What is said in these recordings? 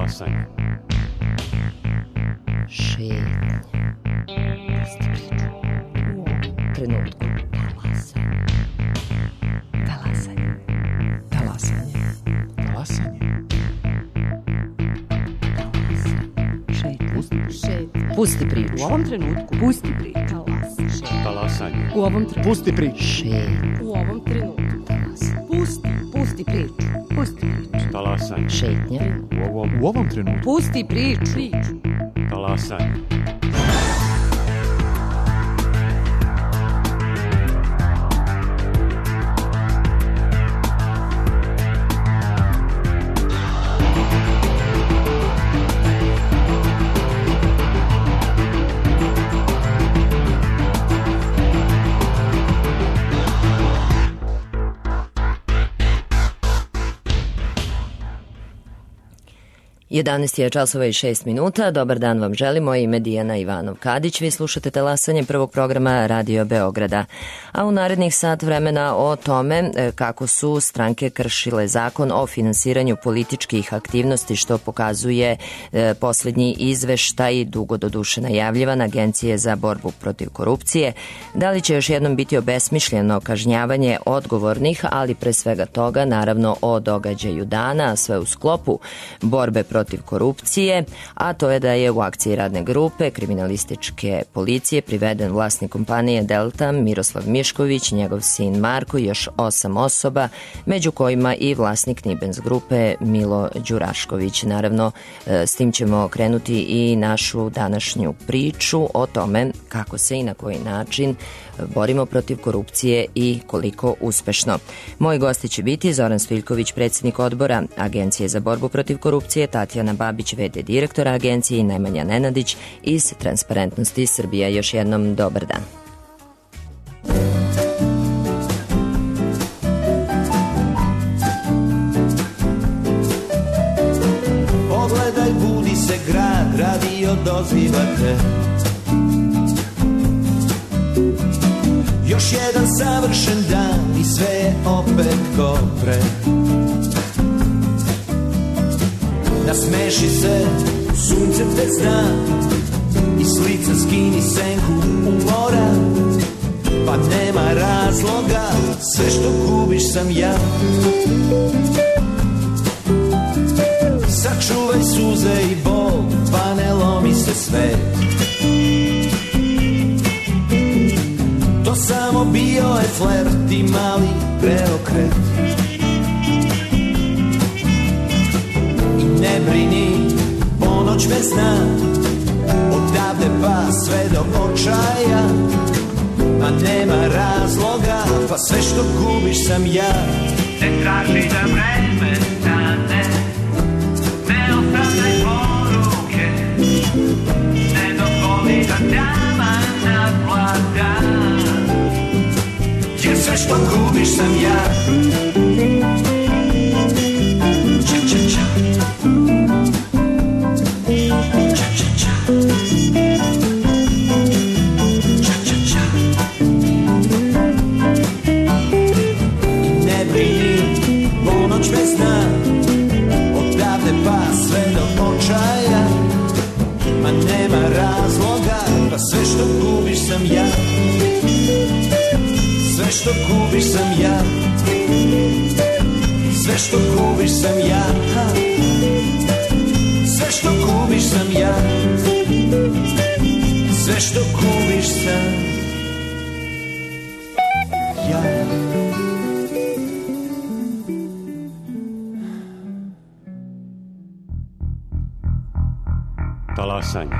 Talasanje. Šetnja. Pusti priču. U trenutku. Talasanje. Talasanje. Talasanje. Pusti priču. U ovom trenutku. Pusti priču. Talasanje. U ovom trenutku. Pusti priču. U ovom trenutku. Pusti priču. Pusti priču. Talasanje. Šetnja. U ovom trenutku. Pusti priču. Talasanje. Jedanaest je časova i 6 minuta. Dobar dan vam želimo. Ime Dijana Ivanov-Kadić. Vi slušate Talasanje prvog programa Radio Beograda. A u narednih sat vremena o tome kako su stranke kršile zakon o finansiranju političkih aktivnosti, što pokazuje poslednji izveštaj, dugo doduše najavljivan, Agencije za borbu protiv korupcije. Da li će još jednom biti obesmišljeno kažnjavanje odgovornih, ali pre svega toga, naravno o događaju dana, sve u sklopu borbe protiv korupcije, a to je da je u akciji radne grupe kriminalističke policije priveden vlasnik kompanije Delta Miroslav Mišković, njegov sin Marko i još 8 osoba, među kojima i vlasnik Nibens grupe Milo Đurašković. Naravno, s tim ćemo krenuti i našu današnju priču o tome kako se i na koji način borimo protiv korupcije i koliko uspešno. Moji gosti će biti Zoran Stojiljković, predsjednik odbora Agencije za borbu protiv korupcije, Tatjana Babić, v.d. direktora agencije i Nemanja Nenadić iz Transparentnosti Srbija. Još jednom dobar dan. Pogledaj, budi se grad, radio dozivate. Još jedan savršen dan i sve je opet ko pre. Nasmeši se, sunce te zna, i s lica skini senku u mora. Pa nema razloga, sve što gubiš sam ja. Sačuvaj suze i bol, pa ne lomi se svet. To samo bio je flert i mali preokret. I ne brini, ponoć me zna, odavde pa sve do očaja. A nema razloga, pa sve što gubiš sam ja. Ne traži da vreme stane, ne ostavljaj poruke, ne dozvoli da dama naplata. Jer sve što gubiš sam ja. Ča, ča, ča. Ča, ča, ča. Ča, ča, ča. I ne brini, ponoć me zna, odavde pa sve do očaja. Ma nema razloga, pa sve što gubiš sam ja. Sve što gubiš sam ja. Sve što gubiš sam ja. Sve što gubiš sam ja. Sve što gubiš sam ja. Talasanje.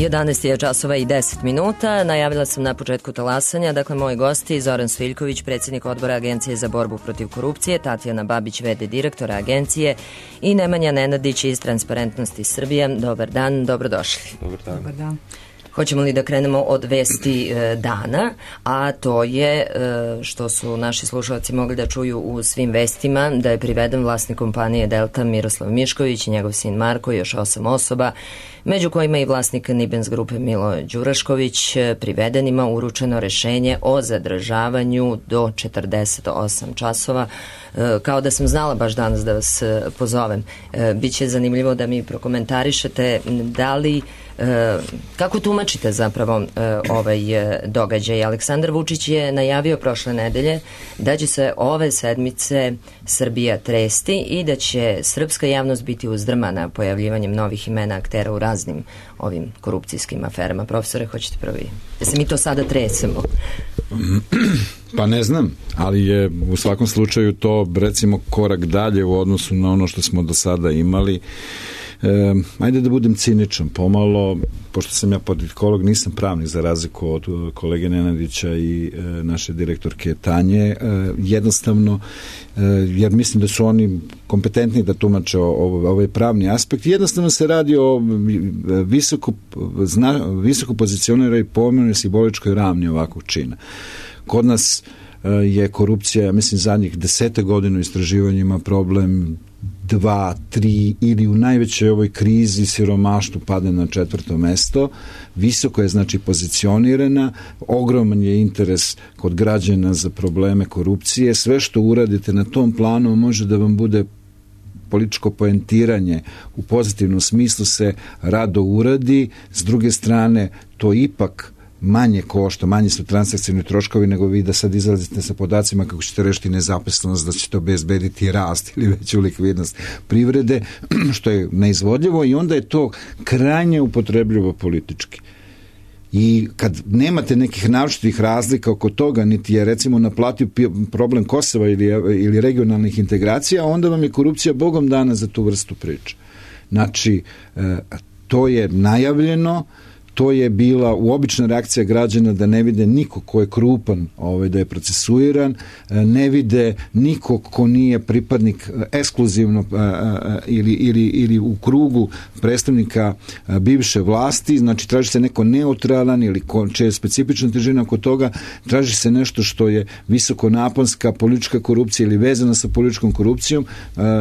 11 je časova i 10 minuta. Najavila sam na početku talasanja. Dakle, moji gosti Zoran Sviljković, predsjednik odbora Agencije za borbu protiv korupcije, Tatjana Babić, v.d. direktora agencije i Nemanja Nenadić iz Transparentnosti Srbije. Dobar dan, dobrodošli. Dobar dan. Hoćemo li da krenemo od vesti dana, a to je što su naši slušalci mogli da čuju u svim vestima, da je priveden vlasnik kompanije Delta Miroslav Mišković i njegov sin Marko i još 8 osoba, među kojima i vlasnik Nibens grupe Milo Đurašković. Privedenima uručeno rešenje o zadržavanju do 48 časova. Kao da sam znala baš danas da vas pozovem. Biće zanimljivo da mi prokomentarišete da li kako tumačite zapravo ovaj događaj. Aleksandar Vučić je najavio prošle nedelje da će se ove sedmice Srbija tresti i da će srpska javnost biti uzdrmana pojavljivanjem novih imena aktera u raznim ovim korupcijskim aferama. Profesore, hoćete prvi? Da se mi to sada tresemo? Pa ne znam, ali je u svakom slučaju to recimo korak dalje u odnosu na ono što smo do sada imali. Ajde da budem ciničan pomalo, pošto sam ja politikolog, nisam pravnik za razliku od kolege Nenadića i naše direktorke Tanje, jednostavno jer mislim da su oni kompetentni da tumače ovaj pravni aspekt. Jednostavno se radi o visoko pozicioniranoj pomenoj simboličkoj ravni ovakvog čina. Kod nas je korupcija, mislim, zadnjih 10 godina u istraživanjima problem 2, 3 ili u najvećoj ovoj krizi siromaštvu pade na 4. mesto. Visoko je znači pozicionirana, ogroman je interes kod građana za probleme korupcije. Sve što uradite na tom planu može da vam bude političko poentiranje u pozitivnom smislu se rado uradi. S druge strane, to ipak manje košta, manje su transakcijni troškovi nego vi da sad izlazite sa podacima kako ćete rešiti nezaposlenost, da ćete obezbediti rast ili veću likvidnost privrede, što je neizvodljivo i onda je to krajnje upotrebljivo politički. I kad nemate nekih naročitih razlika oko toga, niti je recimo naplativ problem Kosova ili regionalnih integracija, onda vam je korupcija bogom dana za tu vrstu priče. Znači, to je najavljeno, to je bila uobična reakcija građana da ne vide niko ko je krupan, da je procesuiran, ne vide niko ko nije pripadnik ekskluzivno ili u krugu predstavnika bivše vlasti, znači traži se neko neutralan ili čija je specifična težina oko toga, traži se nešto što je visokonaponska politička korupcija ili vezana sa političkom korupcijom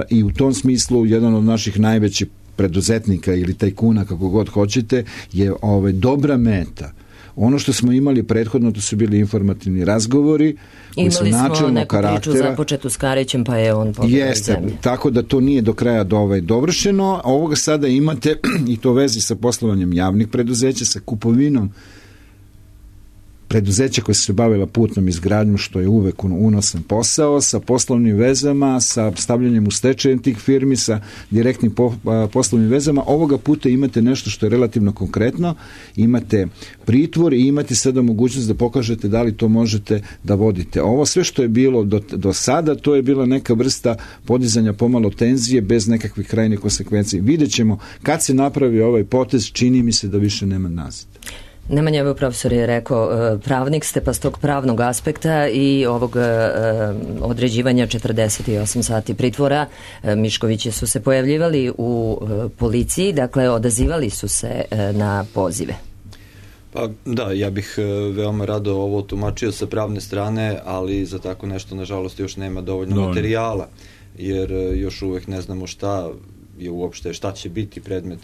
i u tom smislu jedan od naših najvećih preduzetnika ili tajkuna, kako god hoćete, je dobra meta. Ono što smo imali prethodno, to su bili informativni razgovori koji su načelnog karaktera. Imali smo neku priču započetu s Karićem, pa je on pobegao iz zemlje. Tako da to nije do kraja dovršeno. Ovoga sada imate, i to vezi sa poslovanjem javnih preduzeća, sa kupovinom preduzeća koje su se bavila putnom izgradnjom, što je uvek unosan posao, sa poslovnim vezama, sa stavljanjem u stečaj tih firmi, sa direktnim poslovnim vezama. Ovoga puta imate nešto što je relativno konkretno, imate pritvor i imate sada mogućnost da pokažete da li to možete da vodite. Ovo sve što je bilo do sada, to je bila neka vrsta podizanja pomalo tenzije bez nekakvih krajnjih konsekvencija. Vidjet ćemo kad se napravi ovaj potez, čini mi se da više nema nazad. Nemanja, evo profesor je rekao, pravnik ste, pa s tog pravnog aspekta i ovog određivanja 48 sati pritvora, Miškovići su se pojavljivali u policiji, dakle odazivali su se na pozive. Pa da, ja bih veoma rado ovo tumačio sa pravne strane, ali za tako nešto nažalost još nema dovoljno materijala, jer još uvek ne znamo šta je uopšte, šta će biti predmet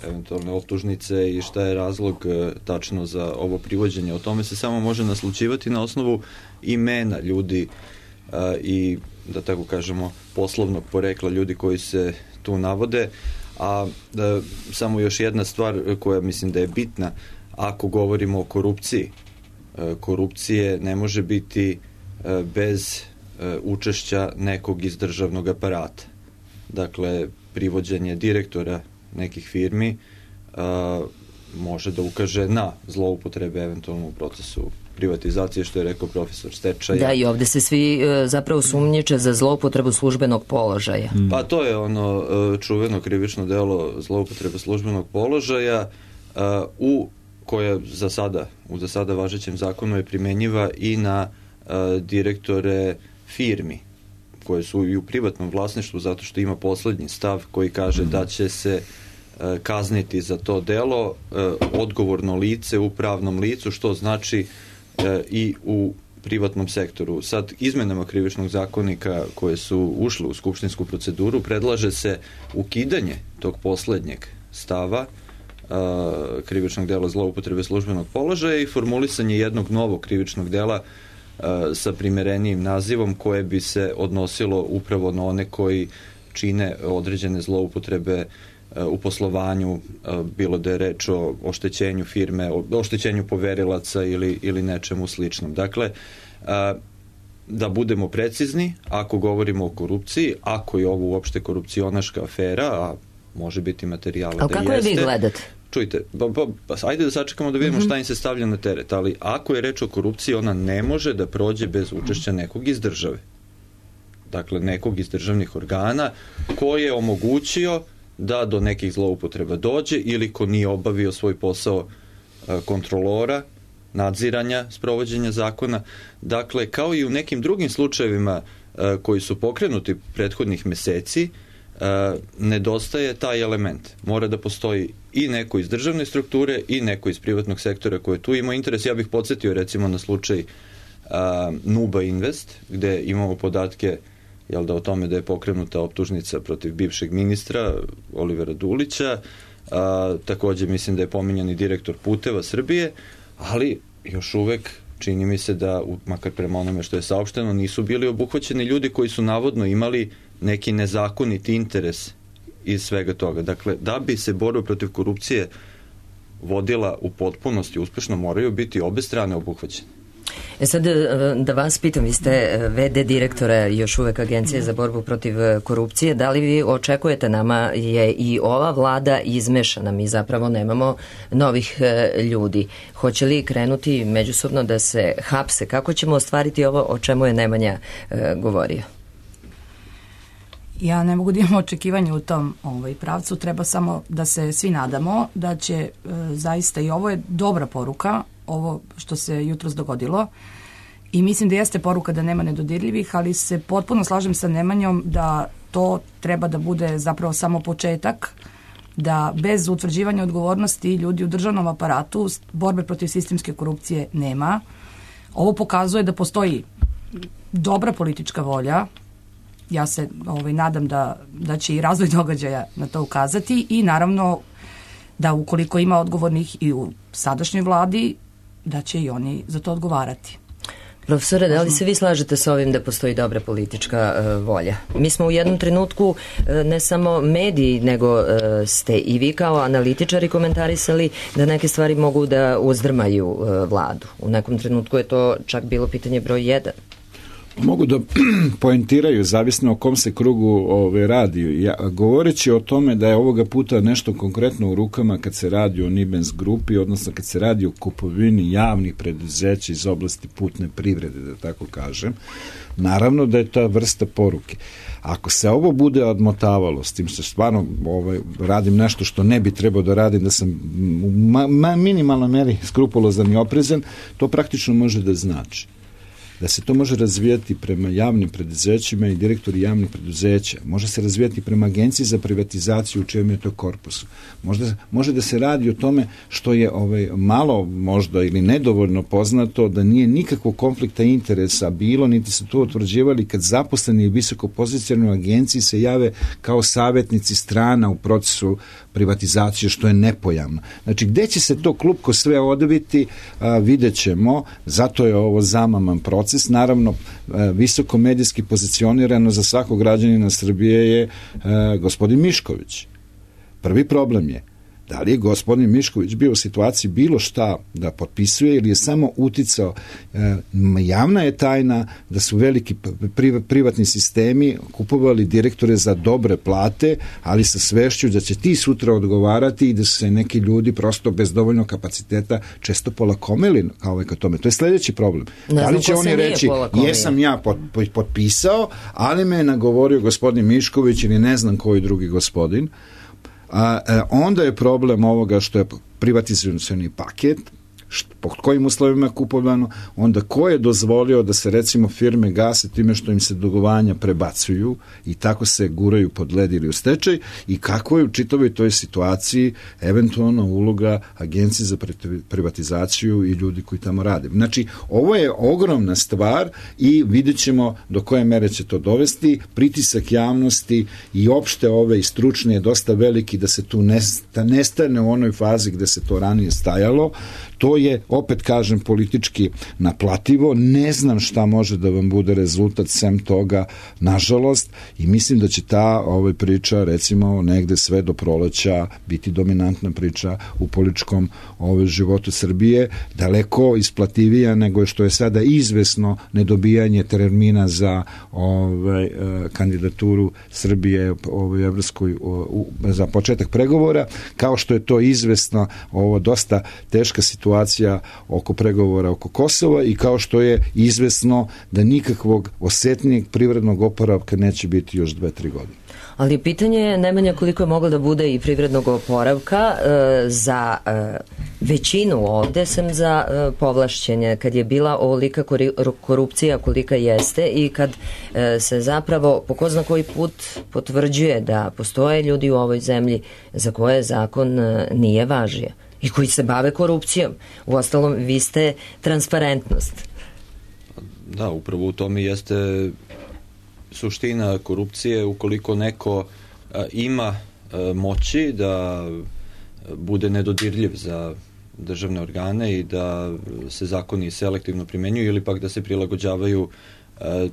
eventualne optužnice i šta je razlog tačno za ovo privođenje. O tome se samo može naslućivati na osnovu imena ljudi i, da tako kažemo, poslovnog porekla ljudi koji se tu navode. A samo još jedna stvar koja mislim da je bitna, ako govorimo o korupciji, korupcije ne može biti bez učešća nekog iz državnog aparata. Dakle, privođenje direktora nekih firmi može da ukaže na zloupotrebe eventualno u procesu privatizacije, što je rekao profesor, stečaja. Da, i ovde se svi zapravo sumnjiče za zloupotrebu službenog položaja. Pa to je ono čuveno krivično delo zloupotrebe službenog položaja. koja u za sada važećem zakonu je primenjiva i na direktore firmi koje su i u privatnom vlasništvu, zato što ima poslednji stav koji kaže da će se kazniti za to delo odgovorno lice u pravnom licu, što znači i u privatnom sektoru. Sad, izmenama krivičnog zakonika koje su ušle u skupštinsku proceduru, predlaže se ukidanje tog poslednjeg stava krivičnog dela zloupotrebe službenog položaja i formulisanje jednog novog krivičnog dela sa primerenijim nazivom koje bi se odnosilo upravo na one koji čine određene zloupotrebe u poslovanju, bilo da je reč o oštećenju firme, o oštećenju poverilaca ili nečemu sličnom. Dakle, da budemo precizni, ako govorimo o korupciji, ako je ovo uopšte korupcionaška afera, a može biti materijala da jeste. A kako je vi gledate? Čujte, ajde da sačekamo da vidimo šta im se stavlja na teret, ali ako je reč o korupciji, ona ne može da prođe bez učešća nekog iz države. Dakle, nekog iz državnih organa ko je omogućio da do nekih zloupotreba dođe ili ko nije obavio svoj posao kontrolora, nadziranja, sprovođenja zakona. Dakle, kao i u nekim drugim slučajevima koji su pokrenuti prethodnih meseci, nedostaje taj element. Mora da postoji i neko iz državne strukture i neko iz privatnog sektora koje tu ima interes. Ja bih podsjetio recimo na slučaj Nuba Invest, gde imamo podatke o tome da je pokrenuta optužnica protiv bivšeg ministra Olivera Dulića, takođe mislim da je pominjan i direktor Puteva Srbije, ali još uvek čini mi se da, makar prema onome što je saopšteno, nisu bili obuhvaćeni ljudi koji su navodno imali neki nezakoniti interes iz svega toga. Dakle, da bi se borba protiv korupcije vodila u potpunosti uspešno, moraju biti obe strane obuhvaćene. Sad da vas pitam, vi ste VD direktora još uvek Agencije za borbu protiv korupcije, da li vi očekujete, nama je i ova vlada izmešana, mi zapravo nemamo novih ljudi. Hoće li krenuti međusobno da se hapse? Kako ćemo ostvariti ovo o čemu je Nemanja govorio? Ja ne mogu da imam očekivanje u tom pravcu, treba samo da se svi nadamo da će zaista, i ovo je dobra poruka, ovo što se jutros dogodilo, i mislim da jeste poruka da nema nedodirljivih, ali se potpuno slažem sa Nemanjom da to treba da bude zapravo samo početak, da bez utvrđivanja odgovornosti ljudi u državnom aparatu borbe protiv sistemske korupcije nema. Ovo pokazuje da postoji dobra politička volja. Ja se nadam da će i razvoj događaja na to ukazati i naravno da ukoliko ima odgovornih i u sadašnjoj vladi, da će i oni za to odgovarati. Profesore, da li se vi slažete sa ovim da postoji dobra politička volja? Mi smo u jednom trenutku ne samo mediji, nego ste i vi kao analitičari komentarisali da neke stvari mogu da uzdrmaju vladu. U nekom trenutku je to čak bilo pitanje broj 1. Mogu da poentiraju, zavisno o kom se krugu radi. Govoreći o tome da je ovoga puta nešto konkretno u rukama kad se radi o Nibens grupi, odnosno kad se radi o kupovini javnih preduzeća iz oblasti putne privrede, da tako kažem, naravno da je ta vrsta poruke. Ako se ovo bude odmotavalo, s tim što stvarno radim nešto što ne bi trebao da radim, da sam u minimalnoj meri skrupulozan i oprezan, to praktično može da znači da se to može razvijati prema javnim preduzećima i direktori javnih preduzeća. Može se razvijati prema agenciji za privatizaciju u čijem je to korpusu. Može da se radi o tome što je malo možda ili nedovoljno poznato, da nije nikakvog konflikta interesa bilo, niti su to utvrđivali kad zaposleni i visoko pozicionirani u agenciji se jave kao savjetnici strana u procesu privatizacije, što je nepojamno. Znači, gde će se to klupko sve odviti, vidjet ćemo, zato je ovo zamaman proces. Naravno, visoko medijski pozicionirano za svakog građanina Srbije je gospodin Mišković. Prvi problem je da li je gospodin Mišković bio u situaciji bilo šta da potpisuje ili je samo uticao. Javna je tajna da su veliki privatni sistemi kupovali direktore za dobre plate, ali sa svešću da će ti sutra odgovarati i da su se neki ljudi prosto bez dovoljnog kapaciteta često polakomili ka tome. To je sledeći problem. Da li će oni reći, jesam ja potpisao, ali me je nagovorio gospodin Mišković ili ne znam koji drugi gospodin. onda je problem ovoga što je privatizacioni paket, pod kojim uslovima je kupovano, onda ko je dozvolio da se recimo firme gase time što im se dugovanja prebacuju i tako se guraju pod led ili u stečaj, i kako je u čitavoj toj situaciji eventualno uloga Agencije za privatizaciju i ljudi koji tamo rade. Znači, ovo je ogromna stvar i vidjet ćemo do koje mere će to dovesti. Pritisak javnosti i opšte ove i stručne je dosta veliki da se tu nestane u onoj fazi gde se to ranije stajalo. To je, opet kažem, politički naplativo. Ne znam šta može da vam bude rezultat sem toga, nažalost, i mislim da će ta priča, recimo, negde sve do proleća biti dominantna priča u političkom životu Srbije, daleko isplativija nego što je sada izvesno nedobijanje termina za kandidaturu Srbije evropskoj za početak pregovora, kao što je to izvesno dosta teška situacija oko pregovora oko Kosova i kao što je izvesno da nikakvog osetnijeg privrednog oporavka neće biti još 2-3 godine. Ali pitanje je, Nemanja, koliko je moglo da bude i privrednog oporavka za većinu ovde, sem za povlašćenje, kad je bila ovolika korupcija kolika jeste i kad se zapravo po ko zna koji put potvrđuje da postoje ljudi u ovoj zemlji za koje zakon nije važio i koji se bave korupcijom. Uostalom, vi ste transparentnost. Da, upravo u tome jeste suština korupcije. Ukoliko neko ima moći da bude nedodirljiv za državne organe i da se zakoni selektivno primenjuju ili pak da se prilagođavaju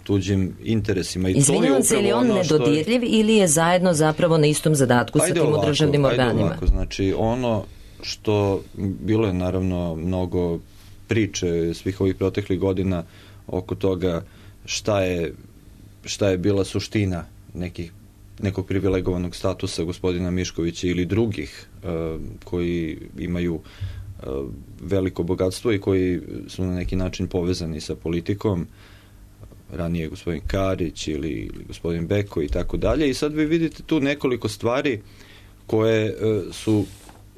tuđim interesima. Izvinjavam se, ili on nedodirljiv ili je zajedno zapravo na istom zadatku sa tim državnim organima? Ovako, znači ono što bilo je naravno mnogo priče svih ovih proteklih godina oko toga šta je bila suština nekog privilegovanog statusa gospodina Miškovića ili drugih koji imaju veliko bogatstvo i koji su na neki način povezani sa politikom, ranije gospodin Karić ili gospodin Beko i tako dalje. I sad vi vidite tu nekoliko stvari koje su,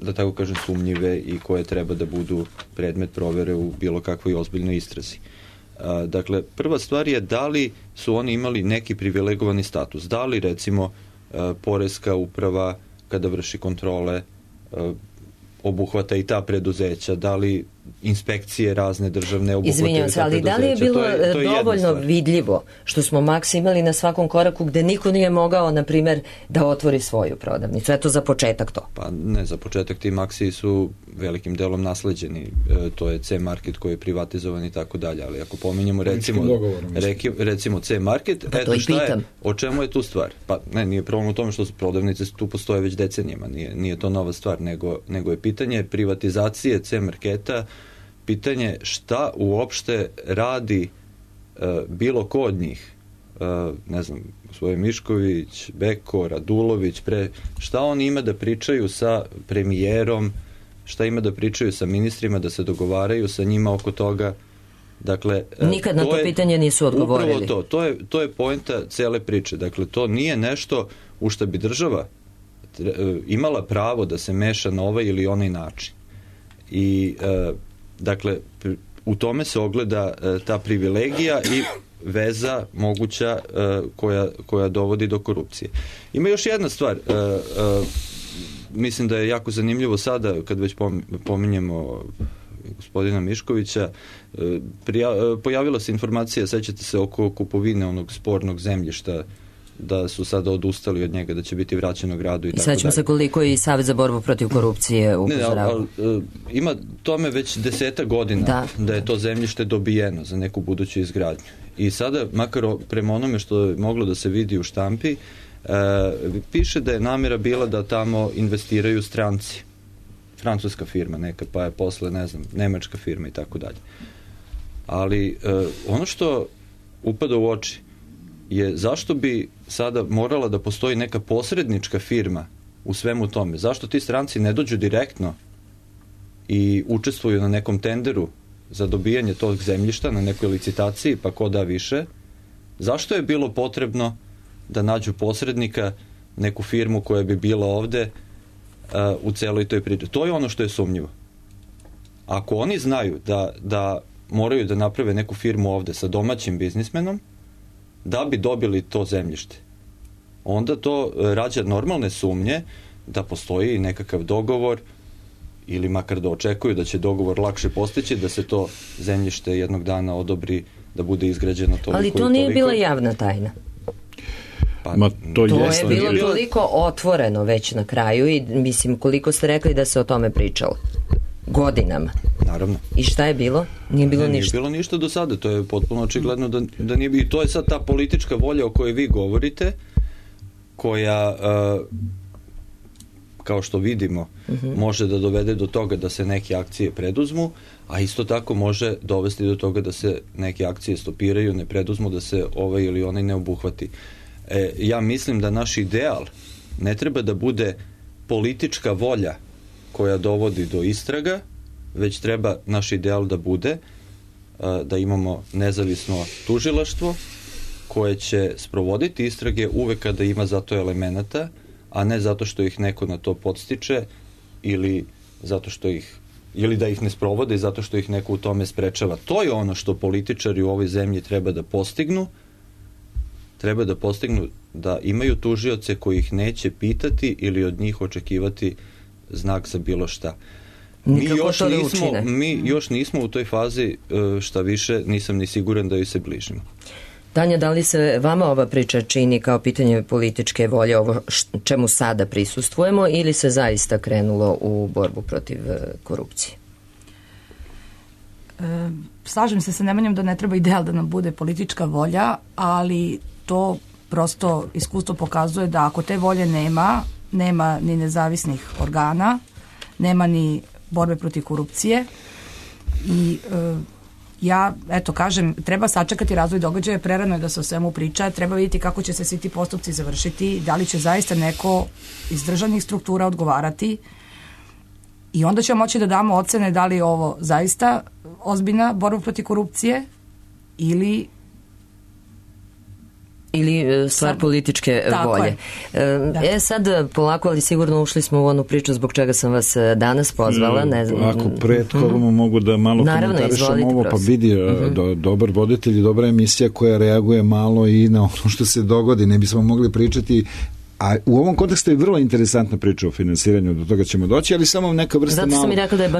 da tako kažem, sumnjive i koje treba da budu predmet provere u bilo kakvoj ozbiljnoj istrazi. Dakle, prva stvar je da li su oni imali neki privilegovani status. Da li, recimo, poreska uprava kada vrši kontrole obuhvata i ta preduzeća, da li inspekcije razne državne obuhvataju. Izvinjam se, ali da li je bilo dovoljno vidljivo što smo Maks imali na svakom koraku gde niko nije mogao, na primer, da otvori svoju prodavnicu? Eto, za početak to. Pa ne, za početak ti Maksi su velikim delom nasleđeni. To je C-market koji je privatizovan i tako dalje, ali ako pominjemo recimo C-market, pa eto šta je, o čemu je tu stvar? Pa ne, nije problem u tome što su prodavnice tu postoje već decenijama, nije to nova stvar, nego je pitanje privatizacije C-marketa, pitanje šta uopšte radi bilo ko od njih, ne znam, gospodin Mišković, Beko, Radulović, šta oni ima da pričaju sa premijerom, šta ima da pričaju sa ministrima, da se dogovaraju sa njima oko toga. Dakle, nikad na to pitanje nisu odgovorili. Upravo to je poenta cele priče. Dakle, to nije nešto u što bi država imala pravo da se meša na ovaj ili onaj način. I dakle, u tome se ogleda ta privilegija i veza moguća koja dovodi do korupcije. Ima još jedna stvar, mislim da je jako zanimljivo sada, kad već pominjemo gospodina Miškovića, pojavila se informacija, sećate se, oko kupovine onog spornog zemljišta, da su sada odustali od njega, da će biti vraćeno gradu i tako dalje. I sećam se koliko i Savez za borbu protiv korupcije upozorava. Ima tome već 10 godina da je to zemljište dobijeno za neku buduću izgradnju. I sada, makar prema onome što je moglo da se vidi u štampi, piše da je namjera bila da tamo investiraju stranci. Francuska firma neka, pa je posle, ne znam, nemačka firma i tako dalje. Ali ono što upada u oči je zašto bi sada morala da postoji neka posrednička firma u svemu tome. Zašto ti stranci ne dođu direktno i učestvuju na nekom tenderu za dobijanje tog zemljišta, na nekoj licitaciji, pa ko da više? Zašto je bilo potrebno da nađu posrednika, neku firmu koja bi bila ovde u celoj toj priči. To je ono što je sumnjivo. Ako oni znaju da moraju da naprave neku firmu ovde sa domaćim biznismenom da bi dobili to zemljište, onda to rađa normalne sumnje da postoji nekakav dogovor ili makar da očekuju da će dogovor lakše postići, da se to zemljište jednog dana odobri da bude izgrađeno toliko. Ali to nije bila javna tajna. Pa, to je bilo toliko otvoreno već na kraju i mislim koliko ste rekli da se o tome pričalo. Godinama. Naravno. I šta je bilo? Nije bilo ništa. Nije bilo ništa do sada, to je potpuno očigledno da nije bilo. I to je sad ta politička volja o kojoj vi govorite, koja, kao što vidimo, može da dovede do toga da se neke akcije preduzmu, a isto tako može dovesti do toga da se neke akcije stopiraju, ne preduzmu, da se ovaj ili onaj ne obuhvati. Ja mislim da naš ideal ne treba da bude politička volja koja dovodi do istraga, već treba naš ideal da bude da imamo nezavisno tužilaštvo koje će sprovoditi istrage uvek kada ima za to elemenata, a ne zato što ih neko na to podstiče ili zato što ili da ih ne sprovode zato što ih neko u tome sprečava. To je ono što političari u ovoj zemlji treba da postignu. Treba da postignu da imaju tužioce koji ih neće pitati ili od njih očekivati znak za bilo šta. Mi još nismo u toj fazi, šta više, nisam ni siguran da joj se bližimo. Tanja, da li se vama ova priča čini kao pitanje političke volje, ovo čemu sada prisustvujemo, ili se zaista krenulo u borbu protiv korupcije? Slažem se sa Nemanjom da ne treba ideal da nam bude politička volja, ali to prosto iskustvo pokazuje da ako te volje nema ni nezavisnih organa, nema ni borbe protiv korupcije i ja, kažem, treba sačekati razvoj događaja, prerano je da se o svemu priča, treba vidjeti kako će se svi ti postupci završiti, da li će zaista neko iz državnih struktura odgovarati i onda ćemo moći da damo ocene da li je ovo zaista ozbiljna borba protiv korupcije ili stvar političke volje. Sad polako, ali sigurno ušli smo u onu priču zbog čega sam vas danas pozvala. Ne znam. Ako prethodno mogu da malo komentarišem ovo, pa vidi, dobar voditelj i dobra emisija koja reaguje malo i na ono što se dogodi. Ne bismo mogli pričati, a u ovom kontekstu je vrlo interesantna priča o finansiranju, do toga ćemo doći, ali samo neka vrsta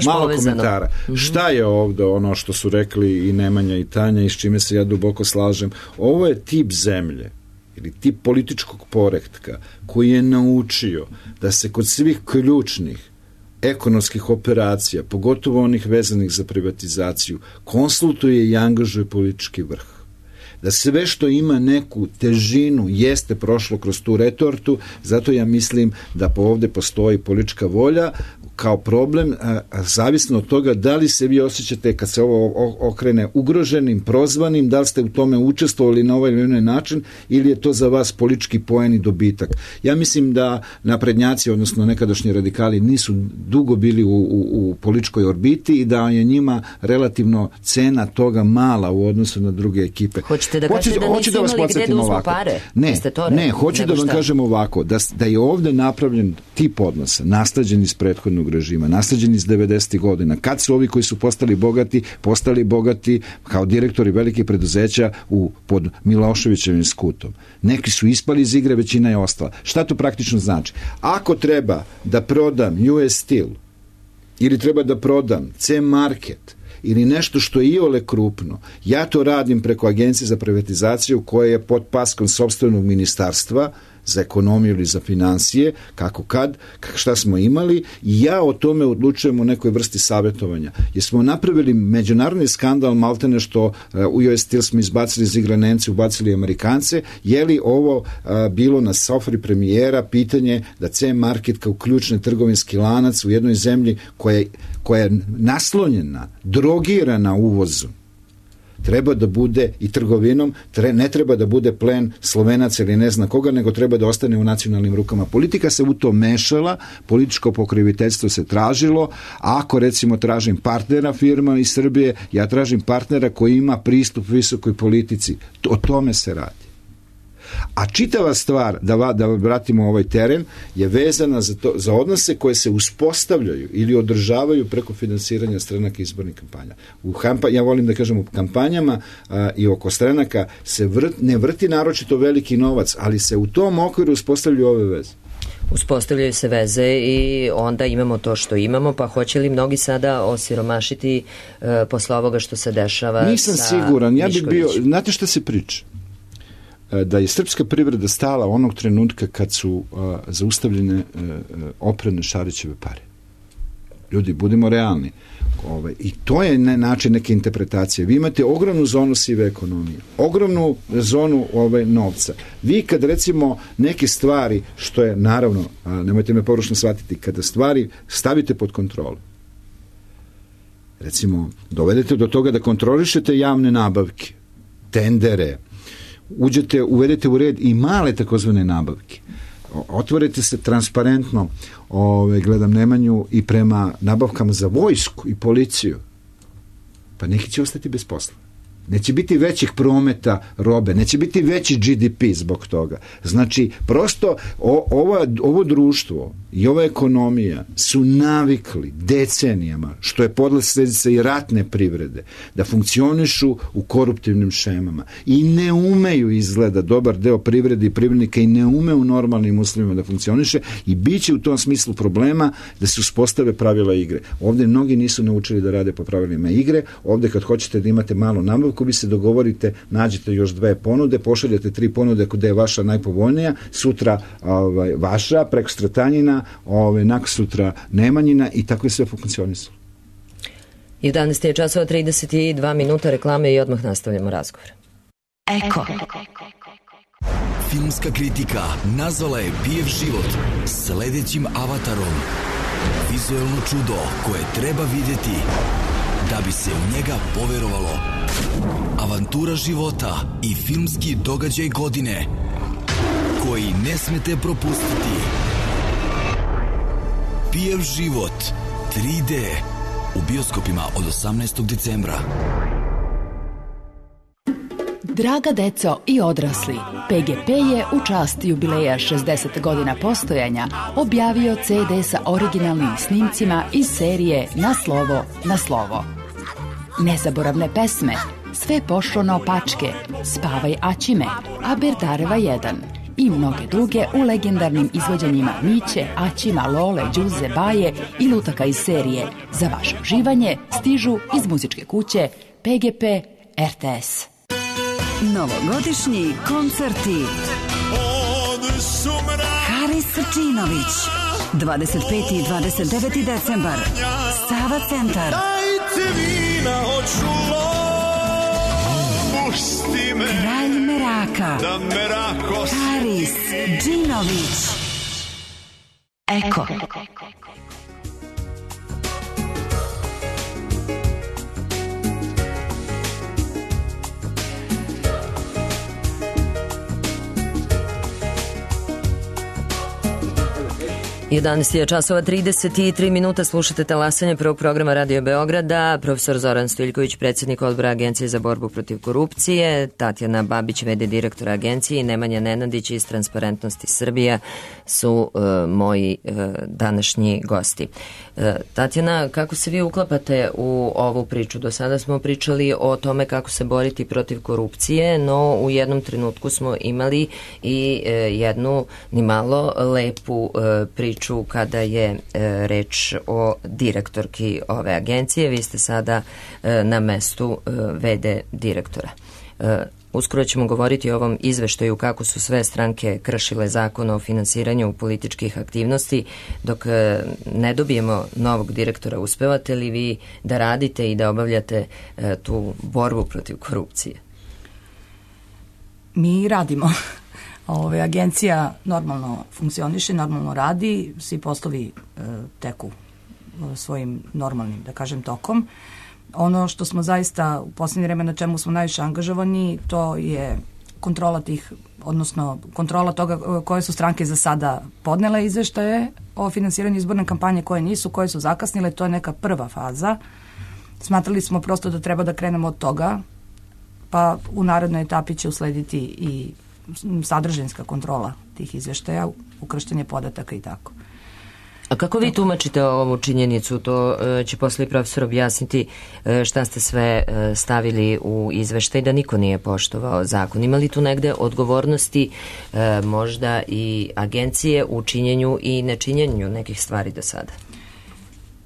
malo komentara. Šta je ovde ono što su rekli i Nemanja i Tanja i s čime se ja duboko slažem? Ovo je tip zemlje ili tip političkog poretka koji je naučio da se kod svih ključnih ekonomskih operacija, pogotovo onih vezanih za privatizaciju, konsultuje i angažuje politički vrh. Da sve što ima neku težinu jeste prošlo kroz tu retortu, zato ja mislim da ovde postoji politička volja kao problem, zavisno od toga da li se vi osjećate kad se ovo okrene ugroženim, prozvanim, da li ste u tome učestvovali na ovaj ili onaj način ili je to za vas politički poen i dobitak. Ja mislim da naprednjaci, odnosno nekadašnji radikali, nisu dugo bili u političkoj orbiti i da je njima relativno cena toga mala u odnosu na druge ekipe. Hoćete da kažete da nisu imali gde da uzmu pare? Ne, hoću da vam kažem ovako, da je ovde napravljen tip odnosa, nasleđen iz prethodnog režima, nasleđen iz 90. godina, kad su ovi koji su postali bogati kao direktori velikih preduzeća pod Miloševićevim skutom. Neki su ispali iz igre, većina je ostala. Šta to praktično znači? Ako treba da prodam US Steel ili treba da prodam C-Market ili nešto što je iole krupno, ja to radim preko Agencije za privatizaciju koja je pod paskom sopstvenog ministarstva za ekonomiju ili za financije, šta smo imali, i ja o tome odlučujem u nekoj vrsti savjetovanja. Jer smo napravili međunarodni skandal, maltene što u US Steel smo izbacili iz igre Nemce, ubacili Amerikance, je li ovo bilo na sofri premijera pitanje da C-Market kao ključni trgovinski lanac u jednoj zemlji koja je naslonjena, drogirana uvozom, treba da bude i trgovinom, ne treba da bude plen Slovenaca ili ne zna koga, nego treba da ostane u nacionalnim rukama. Politika se u to mešala, političko pokriviteljstvo se tražilo, a ako recimo tražim partnera firma iz Srbije, ja tražim partnera koji ima pristup visokoj politici. O tome se radi. A čitava stvar, da vratimo ovaj teren, je vezana za odnose koje se uspostavljaju ili održavaju preko finansiranja stranaka izbornih kampanja. Ja volim da kažem, u kampanjama i oko stranaka se ne vrti naročito veliki novac, ali se u tom okviru uspostavljaju ove veze. Uspostavljaju se veze i onda imamo to što imamo, pa hoće li mnogi sada osiromašiti posle ovoga što se dešava? Nisam siguran, ja bih bio, znate šta se priča? Da je srpska privreda stala onog trenutka kad su zaustavljene oprane Šarićeve pare. Ljudi, budimo realni. I to je način neke interpretacije. Vi imate ogromnu zonu sive ekonomije, ogromnu zonu novca. Vi kad recimo neke stvari, što je naravno, nemojte me pogrešno shvatiti, kada stvari stavite pod kontrolu, recimo dovedete do toga da kontrolišete javne nabavke, tendere, uvedete u red i male takozvane nabavke, otvorite se transparentno, gledam Nemanju, i prema nabavkama za vojsku i policiju, pa neki će ostati bez posla. Neće biti većih prometa robe, neće biti veći GDP zbog toga. Znači, prosto ovo društvo i ova ekonomija su navikli decenijama, što je posljedica i ratne privrede, da funkcionišu u koruptivnim šemama i ne umeju, izgleda, dobar deo privrede i privrednika i ne ume u normalnim uslovima da funkcioniše, i bit će u tom smislu problema da se uspostave pravila igre. Ovdje mnogi nisu naučili da rade po pravilima igre. Ovdje kad hoćete da imate malo nabavku, vi se dogovorite, nađete još 2 ponude, pošaljete 3 ponude gde je vaša najpovoljnija, sutra vaša, preko Stratanjina, nakon sutra Nemanjina, i tako je sve funkcionisalo. 11 je časova 32 minuta, reklame i odmah nastavljamo razgovor. Eko. Filmska kritika nazvala je Pijev život sledećim avatarom. Vizuelno čudo koje treba vidjeti da bi se u njega poverovalo. Avantura života i filmski događaj godine koji ne smete propustiti. Pijev život 3D u bioskopima od 18. decembra. Draga deco i odrasli, PGP je u čast jubileja 60 godina postojanja objavio CD sa originalnim snimcima iz serije Na slovo, na slovo. Nezaboravne pesme, Sve pošlo naopačke, Spavaj Aćime, Aberdareva 1 i mnoge druge u legendarnim izvođenjima Miće, Aćima, Lole, Đuze, Baje i lutaka iz serije. Za vaše uživanje stižu iz muzičke kuće PGP RTS. Novogodišnji koncerti. Haris Srčinović, 25. i 29. decembar, Sava centar. Dajte vina, hoću pusti me. Kralj Meraka, da Merako Haris Džinović. Eko. 11 je časova 33 minuta, slušate talasanje prvog programa Radio Beograda. Profesor Zoran Stojiljković, predsjednik odbora Agencije za borbu protiv korupcije, Tatjana Babić, v.d. direktora agencije, i Nemanja Nenadić iz Transparentnosti Srbija su moji današnji gosti. Tatjana, kako se vi uklapate u ovu priču? Do sada smo pričali o tome kako se boriti protiv korupcije, no u jednom trenutku smo imali i jednu nimalo lepu priču kada je reč o direktorki ove agencije. Vi ste sada na mestu v.d. direktora. Uskoro ćemo govoriti o ovom izveštaju kako su sve stranke kršile zakon o finansiranju političkih aktivnosti. Dok ne dobijemo novog direktora, uspevate li vi da radite i da obavljate tu borbu protiv korupcije? Mi radimo. Agencija normalno funkcioniše, normalno radi, svi poslovi teku svojim normalnim, da kažem, tokom. Ono što smo zaista u posljednje vreme na čemu smo najviše angažovani, to je kontrola tih, odnosno kontrola toga koje su stranke za sada podnele izveštaje o finansiranju izborne kampanje, koje nisu, koje su zakasnile. To je neka prva faza. Smatrali smo prosto da treba da krenemo od toga, pa u narednoj etapi će uslediti i sadržinska kontrola tih izveštaja, ukrštanje podataka i tako. A kako vi tumačite ovu činjenicu? To će posle profesor objasniti šta ste sve stavili u izveštaj da niko nije poštovao zakon. Ima li tu negde odgovornosti možda i agencije u činjenju i nečinjenju nekih stvari do sada?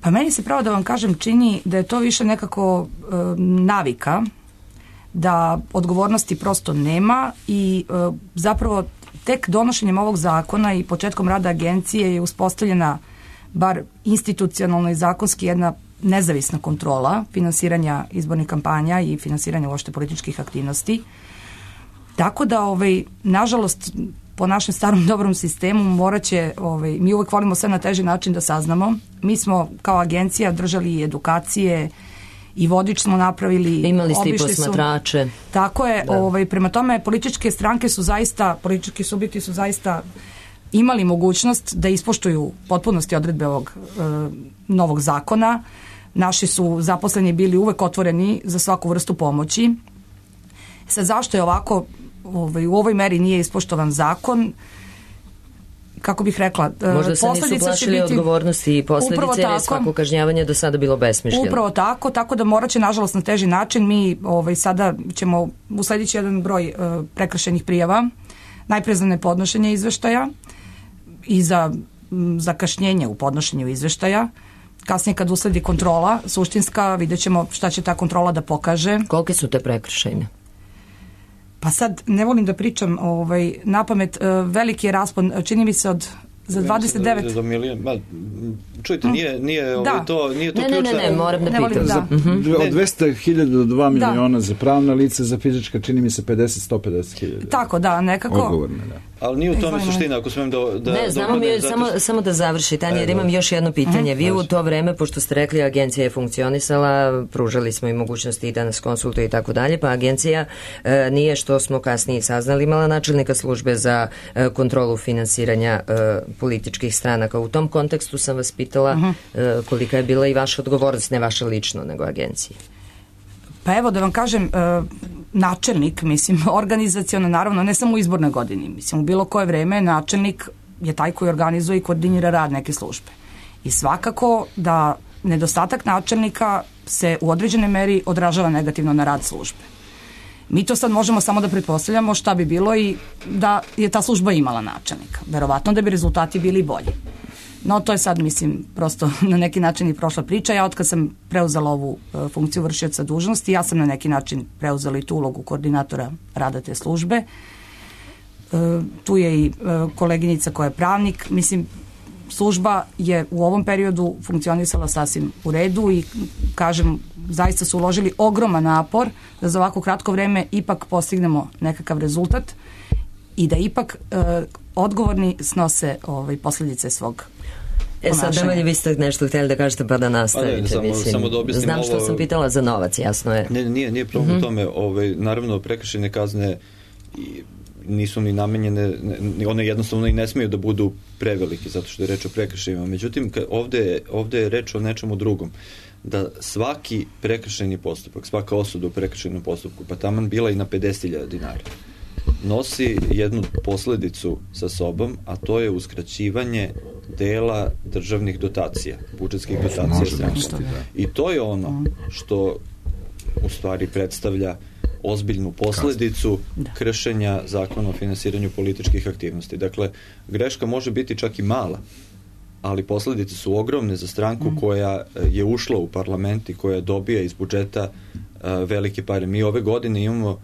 Pa meni se pravo da vam kažem čini da je to više nekako navika, da odgovornosti prosto nema i zapravo tek donošenjem ovog zakona i početkom rada agencije je uspostavljena bar institucionalno i zakonski jedna nezavisna kontrola finansiranja izbornih kampanja i finansiranja uopšte političkih aktivnosti. Tako da, nažalost, po našem starom dobrom sistemu morat će, mi uvek volimo sve na teži način da saznamo. Mi smo kao agencija držali i edukacije i vodič smo napravili. Imali ste i posmatrače. Tako je, prema tome političke stranke su zaista, politički subjekti su zaista imali mogućnost da ispoštuju potpunosti odredbe ovog novog zakona. Naši su zaposleni bili uvek otvoreni za svaku vrstu pomoći. Sad, zašto je ovako, u ovoj meri nije ispoštovan zakon? Kako bih rekla, možda se nisu plašili odgovornosti i posljedice, jer je svako kažnjavanje do sada bilo besmišljeno. Upravo tako da morat će, nažalost, na teži način. Mi sada ćemo uslediti jedan broj prekršajnih prijava, najpre za nepodnošenje izveštaja i za zakašnjenje u podnošenju izveštaja. Kasnije kad usledi kontrola suštinska, vidjet ćemo šta će ta kontrola da pokaže. Kolike su te prekršajne? Pa sad ne volim da pričam na pamet, veliki je raspon, čini mi se za 29... Do milijon, čujte, nije to ključno. Ne, moram da pitam. Od 200.000 do 2 miliona za pravna lica, za fizička čini mi se 150.000. Tako, da, nekako. Odgovorne, da. Ali nije u tome suština, ako smem da... Ne, znamo mi, samo da završi, Tanja, jer imam još jedno pitanje. Vi u to vreme, pošto ste rekli, agencija je funkcionisala, pružali smo i mogućnosti i da nas konsultuje i tako dalje, pa agencija nije, što smo kasnije saznali, imala načelnika službe za kontrolu finansiranja političkih stranaka. U tom kontekstu sam vas pitala kolika je bila i vaša odgovornost, ne vaša lično, nego agencije. Pa evo da vam kažem, načelnik, organizaciono, naravno, ne samo u izbornoj godini, u bilo koje vreme načelnik je taj koji organizuje i koordinira rad neke službe. I svakako da nedostatak načelnika se u određenoj meri odražava negativno na rad službe. Mi to sad možemo samo da pretpostavljamo šta bi bilo i da je ta služba imala načelnika. Verovatno da bi rezultati bili bolji. No to je sad, prosto na neki način i prošla priča. Ja otkad sam preuzela ovu funkciju vršioca dužnosti, ja sam na neki način preuzela i tu ulogu koordinatora rada te službe. Tu je i koleginica koja je pravnik. Služba je u ovom periodu funkcionisala sasvim u redu i, kažem, zaista su uložili ogroman napor da za ovako kratko vreme ipak postignemo nekakav rezultat i da ipak odgovorni snose posljedice svog ponašanja. Sad, Nemanji, vi ste nešto htjeli da kažete pa da nastavite. Samo da objasnim znam što sam pitala za novac, jasno je. Nije problem u tome. Naravno, prekršajne kazne nisu ni namenjene, one jednostavno i ne smiju da budu prevelike, zato što je reč o prekršajima. Međutim, ovde je reč o nečemu drugom. Da svaki prekršajni postupak, svaka osuda u prekršajnom postupku, pa taman bila i na 50.000 dinara, nosi jednu posledicu sa sobom, a to je uskraćivanje dela državnih dotacija, budžetskih dotacija stranaka. I to je ono što u stvari predstavlja ozbiljnu posledicu kršenja zakona o finansiranju političkih aktivnosti. Dakle, greška može biti čak i mala, ali posledice su ogromne za stranku koja je ušla u parlament i koja dobija iz budžeta velike pare. Mi ove godine imamo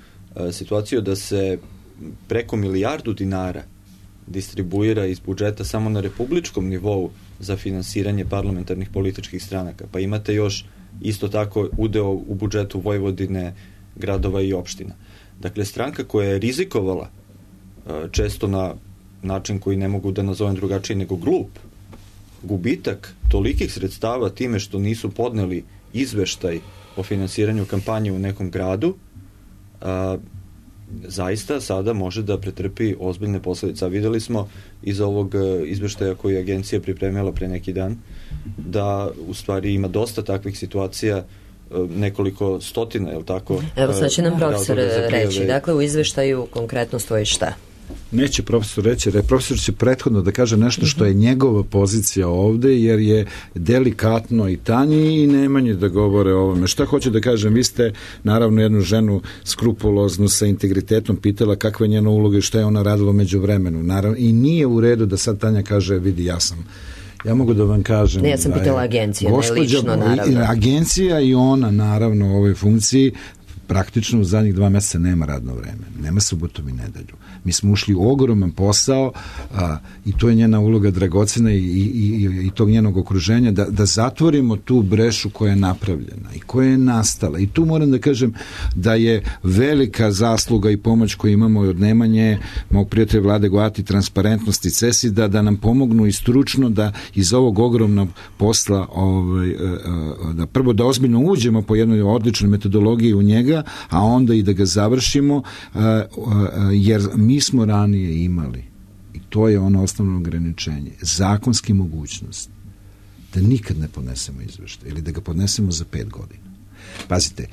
situaciju da se preko 1 milijardu dinara distribuira iz budžeta samo na republičkom nivou za finansiranje parlamentarnih političkih stranaka. Pa imate još isto tako udeo u budžetu Vojvodine, gradova i opština. Dakle, stranka koja je rizikovala često na način koji ne mogu da nazovem drugačije nego glup, gubitak tolikih sredstava time što nisu podneli izveštaj o finansiranju kampanje u nekom gradu, zaista sada može da pretrpi ozbiljne posledice. Videli smo iz ovog izveštaja koji je agencija pripremila pre neki dan da u stvari ima dosta takvih situacija nekoliko stotina, je li tako? Evo sad će nam profesor razloga za prijave. reći. Dakle, u izveštaju konkretno stoji šta? Neće profesor reći, jer profesor će prethodno da kaže nešto što je njegova pozicija ovde, jer je delikatno i Tanji i Nemanji da govore o ovome. Šta hoću da kažem, vi ste naravno jednu ženu skrupuloznu sa integritetom pitala kakva je njena uloga i šta je ona radila među vremenu. Naravno, i nije u redu da sad Tanja kaže, vidi, ja mogu da vam kažem... Ne, ja sam pitala agencija, ne lično, naravno. Agencija i ona, naravno, u ovoj funkciji praktično u zadnjih 2 meseca nema radno vreme, nema subotom i nedelju. Mi smo ušli u ogroman posao i to je njena uloga dragocena i tog njenog okruženja da zatvorimo tu brešu koja je napravljena i koja je nastala. I tu moram da kažem da je velika zasluga i pomoć koju imamo od Nemanje, mog prijatelja Vlade Goati, Transparentnosti, CESID-a, da nam pomognu i stručno da iz ovog ogromnog posla da prvo da ozbiljno uđemo po jednoj odličnoj metodologiji u njega, a onda i da ga završimo, jer mi smo ranije imali, i to je ono osnovno ograničenje, zakonski mogućnost da nikad ne podnesemo izveštaj ili da ga podnesemo za 5 godina. Pazite,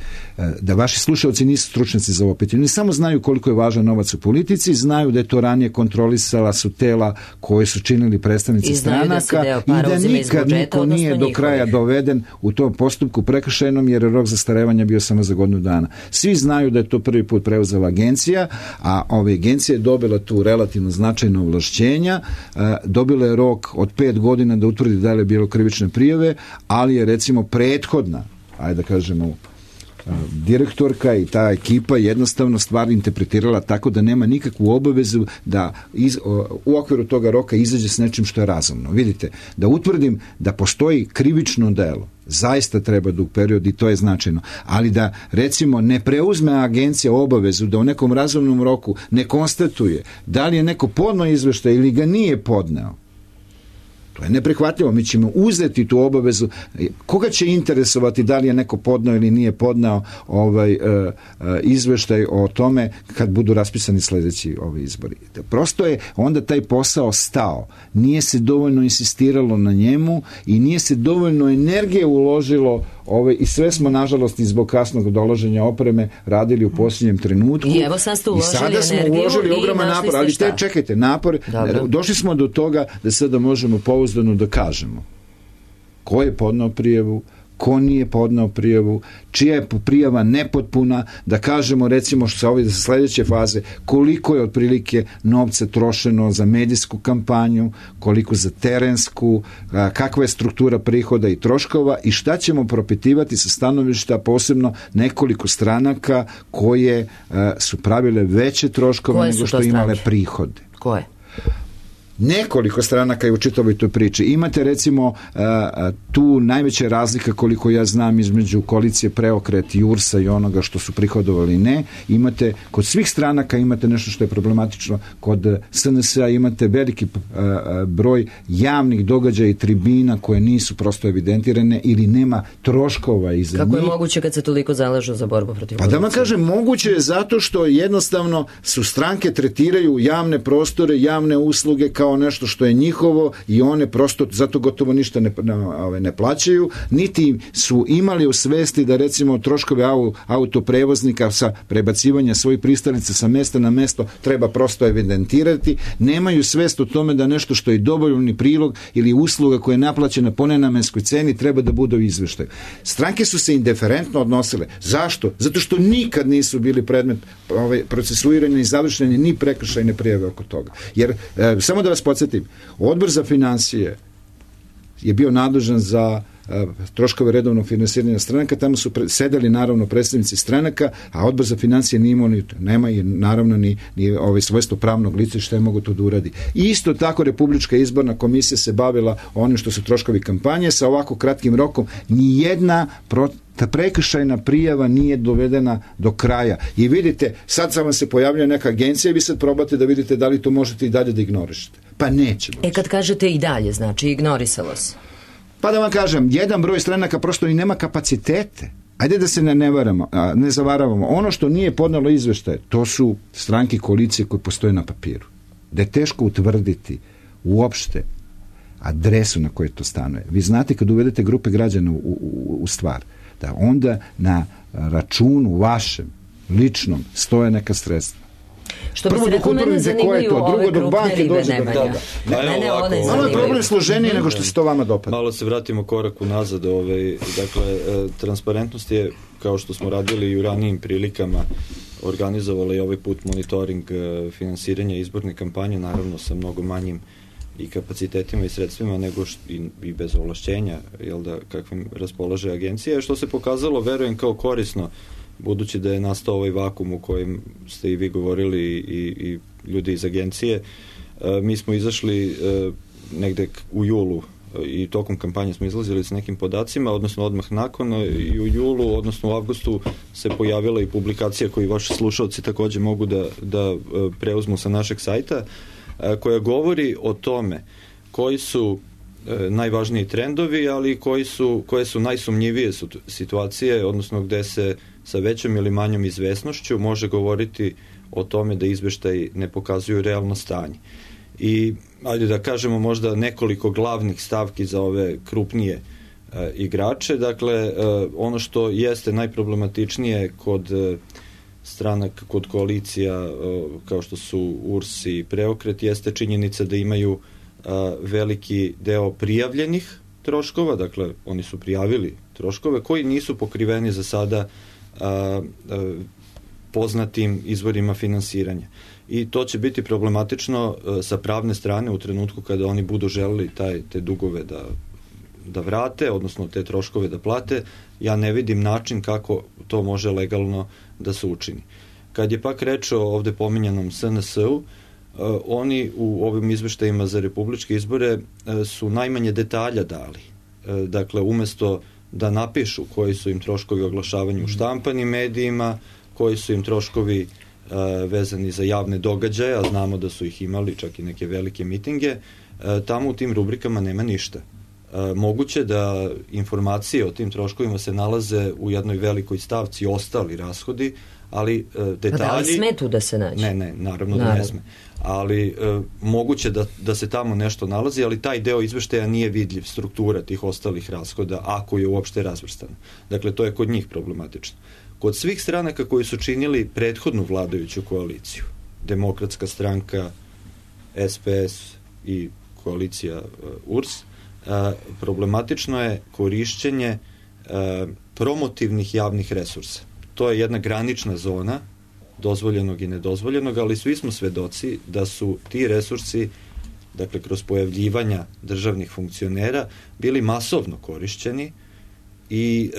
da vaši slušalci nisu stručnjaci za ovo pitanje, oni samo znaju koliko je važan novac u politici, znaju da je to ranije kontrolisala su tela koje su činili predstavnici stranaka i da nikad niko nije do kraja doveden u tom postupku prekršajnom, jer je rok zastarevanja bio samo za godinu dana. Svi znaju da je to prvi put preuzela agencija, a ova agencija je dobila tu relativno značajno ovlašćenja, dobila je rok od 5 godina da utvrdi da li je bilo krivične prijave, ali je recimo prethodna, ajde da kažemo, direktorka i ta ekipa jednostavno stvar interpretirala tako da nema nikakvu obavezu da u okviru toga roka izađe s nečim što je razumno. Vidite, da utvrdim da postoji krivično delo, zaista treba dug period i to je značajno, ali da recimo ne preuzme agencija obavezu da u nekom razumnom roku ne konstatuje da li je neko podneo izveštaj ili ga nije podneo, to je neprihvatljivo. Mi ćemo uzeti tu obavezu. Koga će interesovati da li je neko podneo ili nije podneo izveštaj o tome kad budu raspisani sledeći izbori. Prosto je onda taj posao stao. Nije se dovoljno insistiralo na njemu i nije se dovoljno energije uložilo i sve smo, nažalost, i zbog kasnog dolaženja opreme radili u posljednjem trenutku. I evo sad ste uložili energiju. I sada smo uložili ogroman napor, ali čekajte, napor, došli smo do toga da sada možemo pouzdano da kažemo ko je podneo prijavu, ko nije podneo prijavu, čija je prijava nepotpuna, da kažemo recimo što se ovdje za sledeće faze koliko je otprilike novca trošeno za medijsku kampanju, koliko za terensku, kakva je struktura prihoda i troškova i šta ćemo propitivati sa stanovišta posebno nekoliko stranaka koje su pravile veće troškove nego što imale prihode. Koje? Nekoliko stranaka je u čitavoj toj priči. Imate recimo tu najveća razlika koliko ja znam između koalicije Preokret i URS-a i onoga što su prihodovali ne. Imate, kod svih stranaka imate nešto što je problematično. Kod SNS-a imate veliki broj javnih događaja i tribina koje nisu prosto evidentirane ili nema troškova iza njih. Kako je moguće kad se toliko zalažu za borbu protiv korupcije? Pa da vam kažem, moguće je zato što jednostavno su stranke tretiraju javne prostore, javne usluge kao nešto što je njihovo i one prosto zato gotovo ništa ne plaćaju, niti su imali u svesti da recimo troškove autoprevoznika sa prebacivanja svojih pristalica sa mesta na mesto treba prosto evidentirati, nemaju svest o tome da nešto što je dobrovoljni prilog ili usluga koja je naplaćena po nenamenskoj ceni treba da bude u izveštaju. Stranke su se indiferentno odnosile. Zašto? Zato što nikad nisu bili predmet procesuiranja i završene ni prekršajne prijave oko toga. Jer, samo da vas podsjetim, Odbor za financije je bio nadležan za troškove redovnog finansiranja stranaka, tamo su sedeli naravno predstavnici stranaka, a Odbor za financije nije imao nema i naravno ni svojstvo pravnog lica što je mogo to da uradi. I isto tako Republička izborna komisija se bavila onim što su troškovi kampanje, sa ovako kratkim rokom nijedna ta prekršajna prijava nije dovedena do kraja. I vidite, sad vam se pojavlja neka agencija i vi sad probate da vidite da li to možete i dalje da ignorišete. Pa neće. Kad kažete i dalje, znači ignorisalo se. Pa da vam kažem, jedan broj stranaka prosto i nema kapacitete. Ajde da se ne zavaravamo. Ono što nije podnalo izveštaje, to su stranke koalicije koje postoje na papiru. Da je teško utvrditi uopšte adresu na kojoj to stanuje. Vi znate kad uvedete grupe građana u stvar, da onda na računu vašem, ličnom, stoje neka sredstva. Što bi se rekao, mene zanimaju ove krupne ribe Nemanja. Malo je problem složeniji nego što se to vama dopada. Malo se vratimo korak unazad. Dakle, transparentnost je, kao što smo radili i u ranijim prilikama, organizovala i ovaj put monitoring finansiranja izborne kampanje, naravno sa mnogo manjim i kapacitetima i sredstvima nego i bez ovlašćenja, kakvim raspolaže agencija, što se pokazalo, verujem, kao korisno, budući da je nastao ovaj vakum u kojem ste i vi govorili i ljudi iz agencije. Mi smo izašli negde u julu i tokom kampanje smo izlazili s nekim podacima, odnosno odmah nakon, i u julu, odnosno u avgustu se pojavila i publikacija koju vaši slušalci takođe mogu da preuzmu sa našeg sajta, koja govori o tome koji su najvažniji trendovi, ali koje su najsumnjivije situacije, odnosno gde se sa većom ili manjom izvesnošću može govoriti o tome da izveštaji ne pokazuju realno stanje. I, ajde da kažemo, možda nekoliko glavnih stavki za ove krupnije igrače. Dakle, ono što jeste najproblematičnije kod stranaka, kod koalicija kao što su URS i Preokret, jeste činjenica da imaju veliki deo prijavljenih troškova, dakle oni su prijavili troškove koji nisu pokriveni za sada poznatim izvorima finansiranja. I to će biti problematično sa pravne strane u trenutku kada oni budu želeli te dugove da vrate, odnosno te troškove da plate. Ja ne vidim način kako to može legalno da se učini. Kad je pak reč o ovde pominjanom SNS-u, oni u ovim izveštajima za republičke izbore su najmanje detalja dali. Dakle, umesto da napišu koji su im troškovi oglašavanja u štampanim medijima, koji su im troškovi vezani za javne događaje, a znamo da su ih imali čak i neke velike mitinge, tamo u tim rubrikama nema ništa. Moguće da informacije o tim troškovima se nalaze u jednoj velikoj stavci ostali rashodi, ali detalji... Da li sme tu da se nađe? Ne, naravno da ne sme. Ali moguće da se tamo nešto nalazi, ali taj deo izveštaja nije vidljiv, struktura tih ostalih rashoda, ako je uopšte razvrstano. Dakle, to je kod njih problematično. Kod svih stranaka koji su činili prethodnu vladajuću koaliciju, Demokratska stranka, SPS i koalicija URS, problematično je korišćenje promotivnih javnih resursa. To je jedna granična zona dozvoljenog i nedozvoljenog, ali svi smo svedoci da su ti resursi, dakle kroz pojavljivanja državnih funkcionera, bili masovno korišćeni i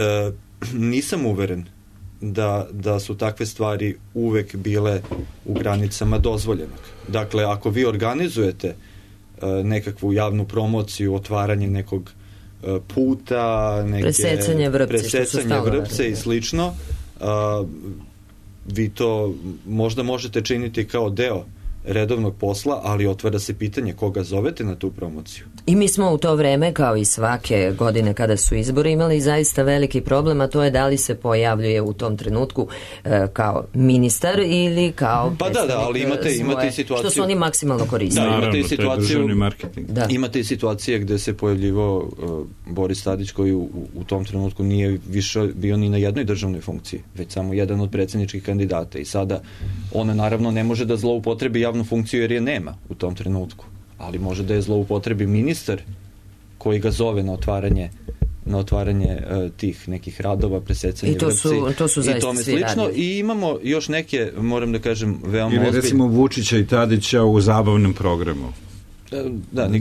nisam uveren da su takve stvari uvek bile u granicama dozvoljenog. Dakle, ako vi organizujete nekakvu javnu promociju, otvaranje nekog puta, presecanje vrpce i slično, vi to možda možete činiti kao deo redovnog posla, ali otvara se pitanje koga zovete na tu promociju. I mi smo u to vreme, kao i svake godine kada su izbori, imali zaista veliki problem, a to je da li se pojavljuje u tom trenutku kao ministar ili kao ali imate situaciju... Što su oni maksimalno koristili. Naravno, to je državni marketing. Imate i situacije gde se pojavljivao Boris Tadić, koji u tom trenutku nije više bio ni na jednoj državnoj funkciji, već samo jedan od predsjedničkih kandidata. I sada ona naravno ne može da zloupotrebi javnu funkciju jer je nema u tom trenutku, ali može da je zloupotrebi ministar koji ga zove na otvaranje tih nekih radova, presecanje vrpci i tome slično. I imamo još neke, moram da kažem, veoma ozbiljne. Ili recimo Vučića i Tadića u zabavnom programu.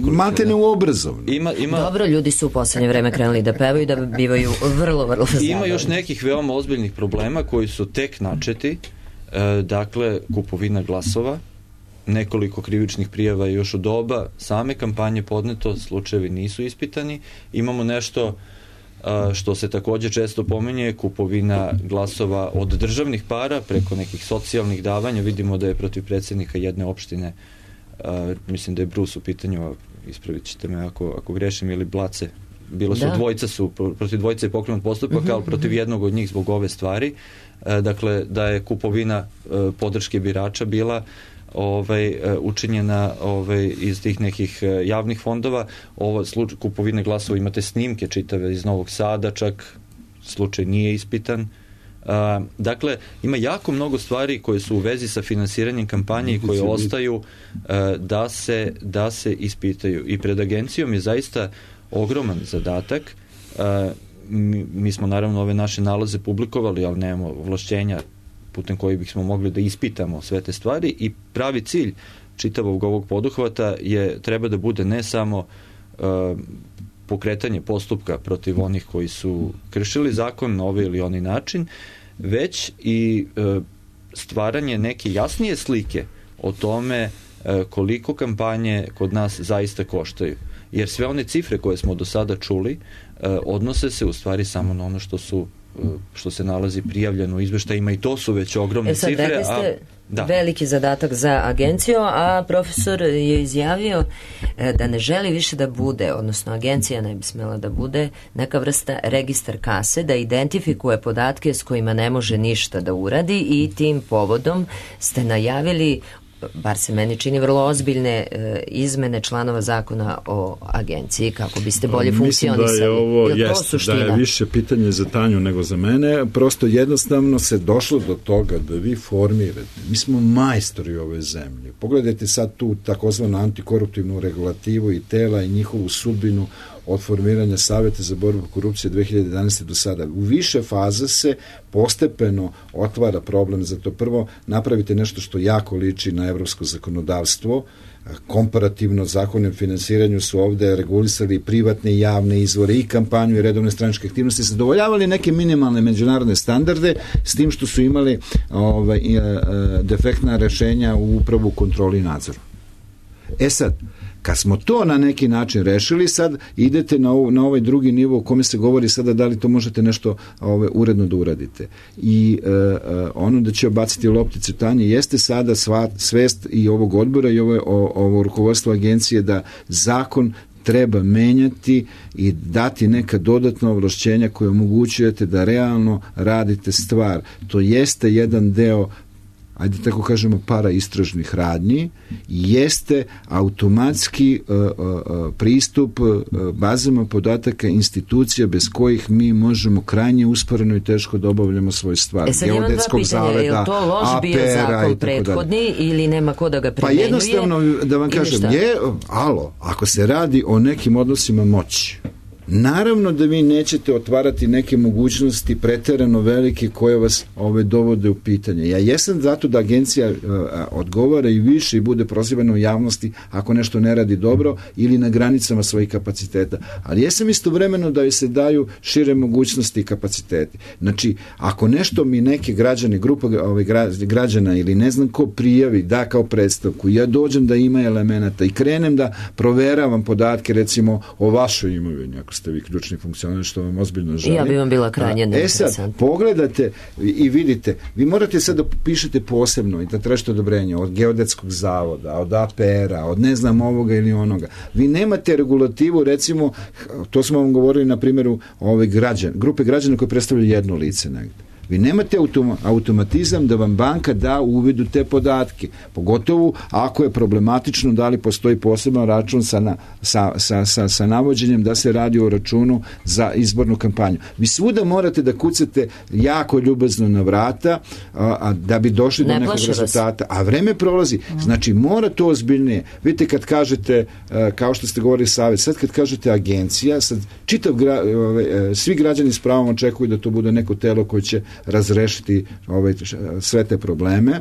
Matene u obrazovnom. Dobro, ljudi su u poslednje vreme krenuli da pevaju, da bivaju vrlo, vrlo zabavni. Ima još nekih veoma ozbiljnih problema koji su tek načeti, dakle, kupovina glasova, nekoliko krivičnih prijava još u doba same kampanje podneto, slučajevi nisu ispitani. Imamo nešto što se takođe često pominje, kupovina glasova od državnih para preko nekih socijalnih davanja. Vidimo da je protiv predsjednika jedne opštine, mislim da je Brus u pitanju, ispravit ćete me ako grešim, ili Blace, protiv dvojice je pokrenut postupak, ali protiv jednog od njih zbog ove stvari. Dakle, da je kupovina podrške birača bila učinjena iz tih nekih javnih fondova. Kupovine glasova, imate snimke čitave iz Novog Sada, čak slučaj nije ispitan. Dakle, ima jako mnogo stvari koje su u vezi sa finansiranjem kampanje i koje ostaju da se ispitaju. I pred agencijom je zaista ogroman zadatak. Mi smo naravno ove naše nalaze publikovali, ali nemamo ovlašćenja putem kojih bismo mogli da ispitamo sve te stvari i pravi cilj čitavog ovog poduhvata treba da bude ne samo pokretanje postupka protiv onih koji su kršili zakon na ovaj ili onaj način, već i stvaranje neke jasnije slike o tome koliko kampanje kod nas zaista koštaju. Jer sve one cifre koje smo do sada čuli odnose se u stvari samo na ono što se nalazi prijavljeno u izveštajima i to su već ogromne cifre. Rekli ste veliki zadatak za agenciju, a profesor je izjavio da ne želi više da bude, odnosno agencija ne bi smela da bude neka vrsta registar kase, da identifikuje podatke s kojima ne može ništa da uradi i tim povodom ste najavili, bar se meni čini, vrlo ozbiljne izmene članova zakona o agenciji kako biste bolje funkcionisali. Mislim da je ovo da je više pitanje za Tanju nego za mene. Prosto jednostavno se došlo do toga da vi formirate. Mi smo majstori ove zemlje. Pogledajte sad tu takozvanu antikoruptivnu regulativu i tela i njihovu sudbinu od formiranja Saveta za borbu korupcije 2011. do sada. U više faza se postepeno otvara problem za to. Prvo, napravite nešto što jako liči na evropsko zakonodavstvo. Komparativno zakonom finansiranju su ovde regulisali privatne i javne izvore i kampanju i redovne stranačke aktivnosti, zadovoljavali neke minimalne međunarodne standarde s tim što su imali defektna rešenja u upravu, kontroli i nadzoru. Sad, kad smo to na neki način rešili, sad idete na ovaj drugi nivo u kome se govori sada da li to možete nešto uredno da uradite. I ono da će obaciti loptice Tanje jeste sada svest i ovog odbora i ovo rukovodstvo agencije da zakon treba menjati i dati neka dodatna ovlašćenja koje omogućujete da realno radite stvar. To jeste jedan deo, ajde tako kažemo, paraistražnih radnji, jeste automatski pristup bazama podataka institucija bez kojih mi možemo krajnje usporeno i teško da obavljamo svoju stvar. Sad imam dva pitanja, je li to loš bio zakon prethodni ili nema ko da ga primenjuje? Pa jednostavno da vam kažem, ako se radi o nekim odnosima moći, naravno da vi nećete otvarati neke mogućnosti preterano velike koje vas dovode u pitanje. Ja jesam zato da agencija odgovara i više i bude prozivana u javnosti ako nešto ne radi dobro ili na granicama svojih kapaciteta. Ali jesam istovremeno da joj se daju šire mogućnosti i kapaciteti. Znači, ako nešto mi neki građani, grupa građana ili ne znam ko prijavi, da kao predstavku, ja dođem da ima elemenata i krenem da proveravam podatke recimo o vašoj imovini, ako ste vi ključni funkcioner, što vam ozbiljno želim. Ja bi vam bila krajnje neinteresantna. Sad, pogledate i vidite, vi morate sad da pišete posebno i da tražite odobrenje od Geodetskog zavoda, od APR-a, od ne znam ovoga ili onoga. Vi nemate regulativu, recimo, to smo vam govorili na primjeru grupe građana koji predstavljaju jedno lice negde. Vi nemate automatizam da vam banka da uvid u te pogotovo ako je problematično da li postoji poseban račun sa navođenjem da se radi o računu za izbornu kampanju. Vi svuda morate da kucate jako ljubazno na vrata da bi došli do nekog rezultata. A vreme prolazi. Znači, mora to ozbiljnije. Vidite, kad kažete, kao što ste govorili savjet, sad kad kažete agencija, sad svi građani s pravom očekuju da to bude neko telo koje će razrešiti sve te probleme,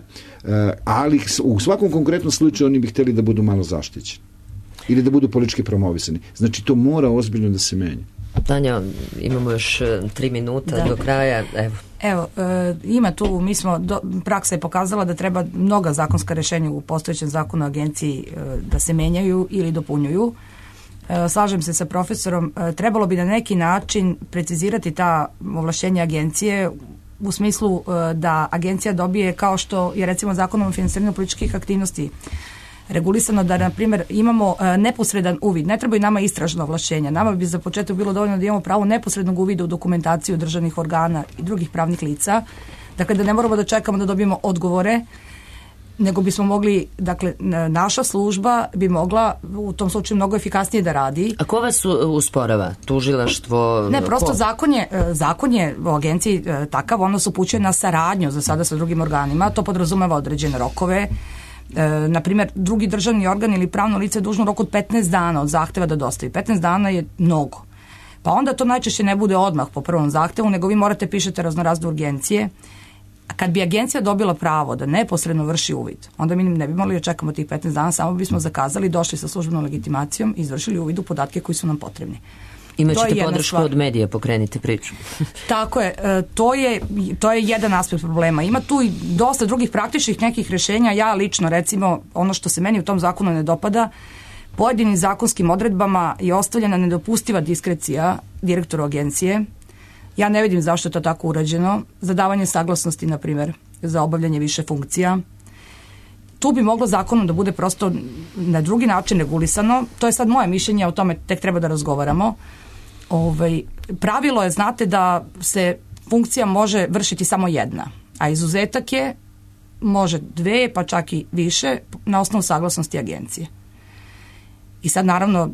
ali u svakom konkretnom slučaju oni bi htjeli da budu malo zaštićeni ili da budu politički promovisani. Znači, to mora ozbiljno da se menja. Tanja, imamo još 3 minuta do kraja. Evo, ima tu, praksa je pokazala da treba mnoga zakonska rješenja u postojećem zakonu o agenciji da se menjaju ili dopunjuju. Slažem se sa profesorom, trebalo bi na neki način precizirati ta ovlašćenja agencije u smislu da agencija dobije, kao što je recimo zakonom o finansiranju političkih aktivnosti regulisano, da na primjer imamo neposredan uvid, ne trebaju nama istražna ovlašćenja, nama bi za početak bilo dovoljno da imamo pravo neposrednog uvida u dokumentaciju državnih organa i drugih pravnih lica, dakle da ne moramo da čekamo da dobijemo odgovore nego bismo mogli, dakle, naša služba bi mogla u tom slučaju mnogo efikasnije da radi. A ko vas usporava? Tužilaštvo? Ne, prosto zakon je u agenciji takav, ono se upućuje na saradnju za sada sa drugim organima, to podrazumeva određene rokove. Na primjer, drugi državni organ ili pravno lice je dužno u roku od 15 dana od zahteva da dostavi. 15 dana je mnogo. Pa onda to najčešće ne bude odmah po prvom zahtevu, nego vi morate pišete raznorazne urgencije. A kad bi agencija dobila pravo da neposredno vrši uvid, onda mi ne bi morali da čekamo tih 15 dana, samo bismo zakazali, došli sa službenom legitimacijom i izvršili uvid u podatke koji su nam potrebni. Imaćete podršku od medija, pokrenite priču. Tako je, to je jedan aspekt problema. Ima tu i dosta drugih praktičnih nekih rješenja. Ja lično, recimo, ono što se meni u tom zakonu ne dopada, pojedinim zakonskim odredbama je ostavljena nedopustiva diskrecija direktoru agencije. Ja ne vidim zašto je to tako urađeno. Za davanje saglasnosti, na primjer, za obavljanje više funkcija. Tu bi moglo zakonom da bude prosto na drugi način regulisano. To je sad moje mišljenje, o tome tek treba da razgovaramo. Pravilo je, znate, da se funkcija može vršiti samo jedna, a izuzetak je može 2, pa čak i više na osnovu saglasnosti agencije. I sad naravno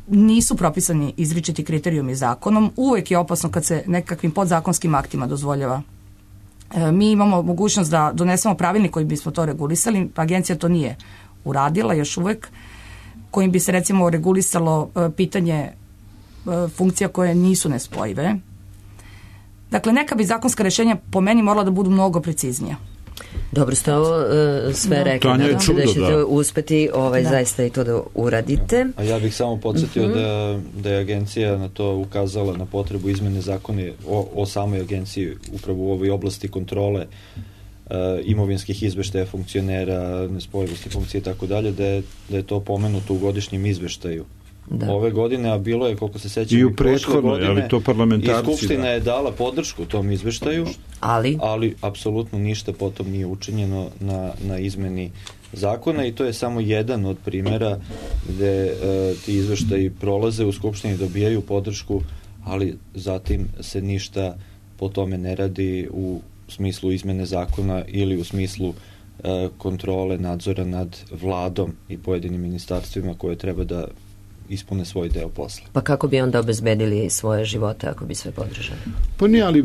nisu propisani izričiti kriterijumi zakonom. Uvek je opasno kad se nekakvim podzakonskim aktima dozvoljava. Mi imamo mogućnost da donesemo pravilnik koji bismo to regulisali, agencija to nije uradila još uvek, kojim bi se recimo regulisalo pitanje funkcija koje nisu nespojive. Dakle, neka bi zakonska rješenja po meni morala da budu mnogo preciznija. Dobro ste ovo sve rekli, nadam se da ćete uspeti zaista i to da uradite. A ja bih samo podsjetio da je agencija na to ukazala, na potrebu izmene zakona o samoj agenciji upravo u ovoj oblasti kontrole imovinskih izveštaja funkcionera, nespojivosti funkcije i tako dalje, da je to pomenuto u godišnjem izveštaju. Ove godine, a bilo je, koliko se sećam, i u prethodnoj, ali to parlamentarci. I Skupština je dala podršku tom izveštaju, ali apsolutno ništa potom nije učinjeno na izmeni zakona i to je samo jedan od primjera gde ti izveštaji prolaze u Skupštini, dobijaju podršku, ali zatim se ništa po tome ne radi u smislu izmene zakona ili u smislu kontrole, nadzora nad vladom i pojedinim ministarstvima koje treba da ispune svoj deo posla. Pa kako bi onda obezbedili svoje živote ako bi sve podržali? Pa nije, ali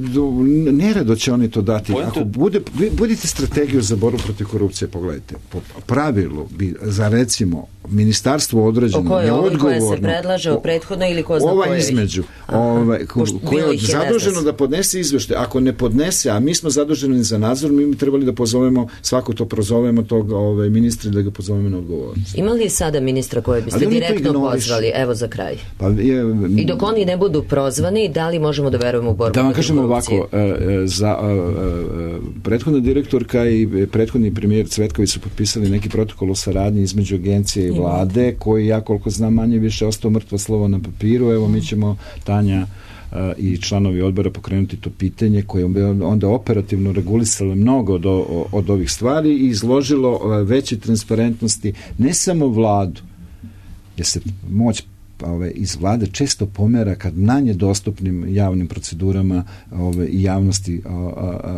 nerado će oni to dati. Ako budete strategiju za borbu protiv korupcije, pogledajte, po pravilu bi za recimo ministarstvo određeno neodgovorno. Koja se predlaže o prethodno ili ko zna koje? Ova između. Koja je zaduženo da podnese izveštaj. Ako ne podnese, a mi smo zaduženi za nadzor, mi bi trebali da pozovemo, svako to prozovemo tog ministra da ga pozovemo na odgovornost. Ima li sada ministra koje biste direktno pozvali? Evo za kraj. I dok oni ne budu prozvani, da li možemo da verujemo u borbu protiv korupcije? Da vam kažemo ovako, za prethodna direktorka i prethodni premijer Cvetković su potpisali neki protokol o saradnji između agencije i vlade, koji, ja koliko znam, manje više ostao mrtvo slovo na papiru. Evo, mi ćemo, Tanja i članovi odbora, pokrenuti to pitanje koje je onda operativno regulisalo mnogo od ovih stvari i izložilo veće transparentnosti ne samo vladu, jer se moć iz vlade često pomera kad manje dostupnim javnim procedurama i javnosti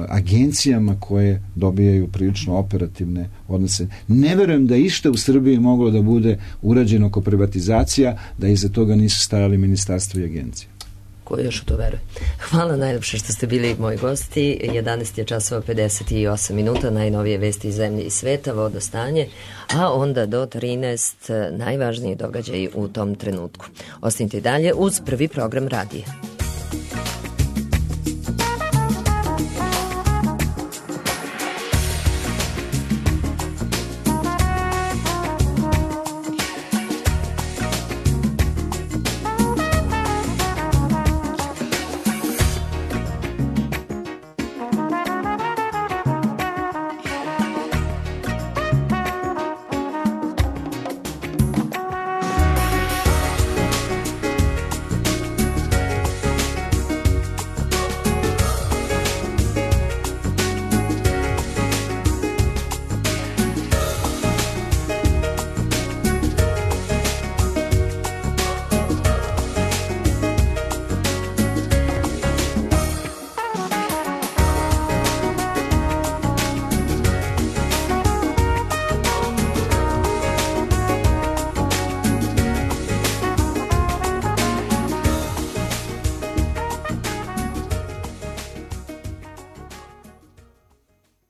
agencijama koje dobijaju prilično operativne odnose. Ne verujem da išta u Srbiji moglo da bude urađeno oko privatizacija, da iza toga nisu stajali ministarstvo i agencije. Ko još u to veruje? Hvala najljepše što ste bili moji gosti. 11 je časova 58 minuta, najnovije vesti iz zemlje i sveta, vodostanje, a onda do 13 najvažniji događaji u tom trenutku. Ostanite dalje uz prvi program radija.